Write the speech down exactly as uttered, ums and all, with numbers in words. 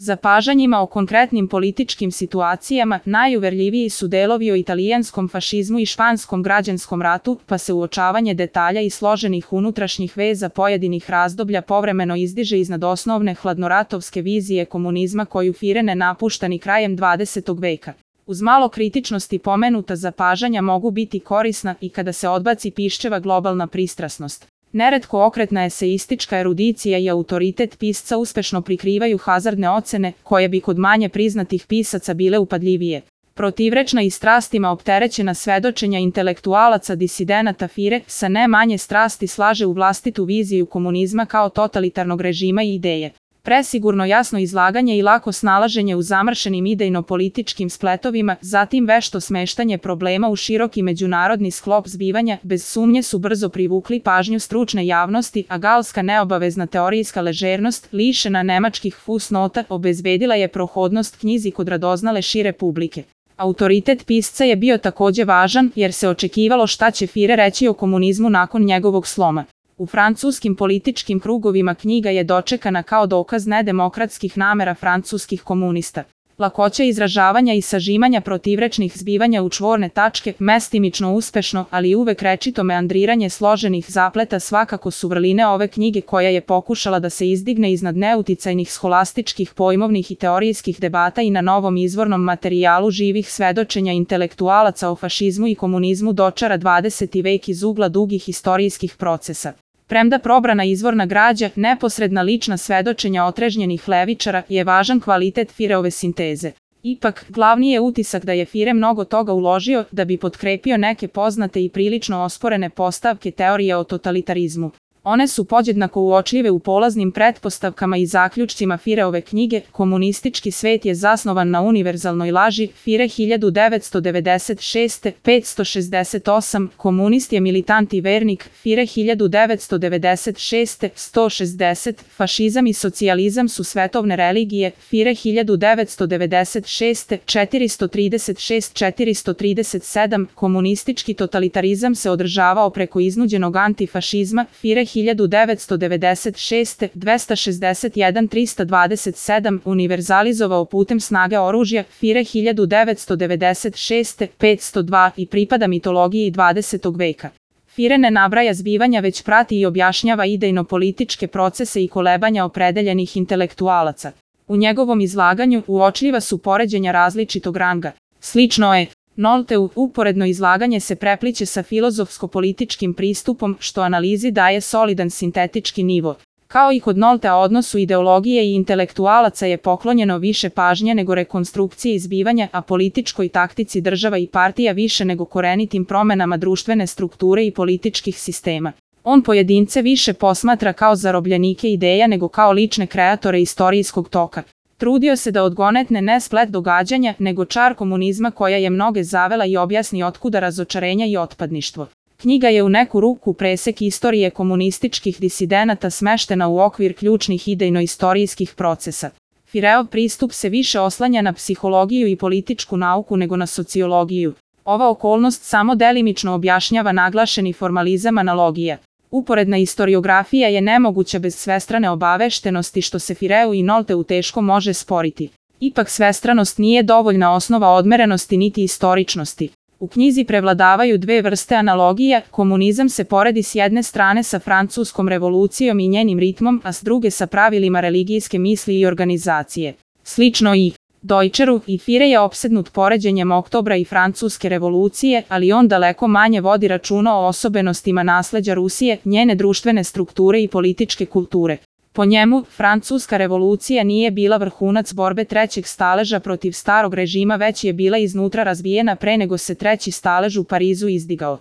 Zapažanjima o konkretnim političkim situacijama najuverljiviji su delovi o italijanskom fašizmu i španskom građanskom ratu, pa se uočavanje detalja i složenih unutrašnjih veza pojedinih razdoblja povremeno izdiže iznad osnovne hladnoratovske vizije komunizma koju Fiere ne napušta ni krajem dvadesetog veka. Uz malo kritičnosti pomenuta zapažanja mogu biti korisna i kada se odbaci piščeva globalna pristrasnost. Neretko okretna eseistička erudicija i autoritet pisca uspešno prikrivaju hazardne ocene, koje bi kod manje priznatih pisaca bile upadljivije. Protivrečna i strastima opterećena svedočenja intelektualaca disidenata Fiere sa ne manje strasti slaže u vlastitu viziju komunizma kao totalitarnog režima i ideje. Presigurno jasno izlaganje i lako snalaženje u zamršenim idejno-političkim spletovima, zatim vešto smeštanje problema u široki međunarodni sklop zbivanja, bez sumnje su brzo privukli pažnju stručne javnosti, a galska neobavezna teorijska ležernost, lišena nemačkih fusnota, obezbedila je prohodnost knjizi kod radoznale šire publike. Autoritet pisca je bio takođe važan, jer se očekivalo šta će Fiere reći o komunizmu nakon njegovog sloma. U francuskim političkim krugovima knjiga je dočekana kao dokaz nedemokratskih namera francuskih komunista. Lakoća izražavanja i sažimanja protivrečnih zbivanja u čvorne tačke, mestimično uspešno, ali uvek rečito meandriranje složenih zapleta svakako su vrline ove knjige koja je pokušala da se izdigne iznad neuticajnih scholastičkih pojmovnih i teorijskih debata i na novom izvornom materijalu živih svedočenja intelektualaca o fašizmu i komunizmu dočara dvadeseti vek iz ugla dugih istorijskih procesa. Premda probrana izvorna građa, neposredna lična svedočenja otrežnjenih levičara je važan kvalitet Fiereove sinteze. Ipak, glavni je utisak da je Fiere mnogo toga uložio da bi potkrepio neke poznate i prilično osporene postavke teorije o totalitarizmu. One su podjednako uočljive u polaznim pretpostavkama i zaključcima Fiereove knjige Komunistički svet je zasnovan na univerzalnoj laži, Fiere hiljadu devetsto devedeset šeste petsto šezdeset osam, komunist je militant i vernik, Fiere hiljadu devetsto devedeset šeste sto šezdeset, fašizam i socijalizam su svetovne religije, Fiere hiljadu devetsto devedeset šeste četiristo trideset šest četiristo trideset sedam, komunistički totalitarizam se održavao preko iznuđenog antifašizma, Fiere hiljadu devetsto devedeset šeste dvesta šezdeset jedan trista dvadeset sedam, univerzalizovao putem snage oružja, Fiere hiljadu devetsto devedeset šeste petsto dva i pripada mitologiji dvadesetog veka. Fiere ne nabraja zbivanja već prati i objašnjava idejno-političke procese i kolebanja opredeljenih intelektualaca. U njegovom izlaganju uočljiva su poređenja različitog ranga. Slično je Nolteu, uporedno izlaganje se prepliće sa filozofsko-političkim pristupom, što analizi daje solidan sintetički nivo. Kao i kod Noltea odnosu ideologije i intelektualaca je poklonjeno više pažnje nego rekonstrukcije izbivanja, a političkoj taktici država i partija više nego korenitim promenama društvene strukture i političkih sistema. On pojedince više posmatra kao zarobljenike ideja nego kao lične kreatore istorijskog toka. Trudio se da odgonetne ne splet događanja, nego čar komunizma koja je mnoge zavela i objasni otkuda razočarenja i otpadništvo. Knjiga je u neku ruku presek istorije komunističkih disidenata smeštena u okvir ključnih idejno-istorijskih procesa. Fiereov pristup se više oslanja na psihologiju i političku nauku nego na sociologiju. Ova okolnost samo delimično objašnjava naglašeni formalizam analogija. Uporedna istoriografija je nemoguća bez svestrane obaveštenosti što se Fiereu i Nolteu teško može sporiti. Ipak svestranost nije dovoljna osnova odmerenosti niti istoričnosti. U knjizi prevladavaju dve vrste analogija, komunizam se poredi s jedne strane sa francuskom revolucijom i njenim ritmom, a s druge sa pravilima religijske misli i organizacije. Slično i Deutscheru, i Fiere je opsednut poređenjem Oktobra i Francuske revolucije, ali on daleko manje vodi računa o osobenostima nasleđa Rusije, njene društvene strukture i političke kulture. Po njemu, Francuska revolucija nije bila vrhunac borbe trećeg staleža protiv starog režima, već je bila iznutra razbijena pre nego se treći stalež u Parizu izdigao.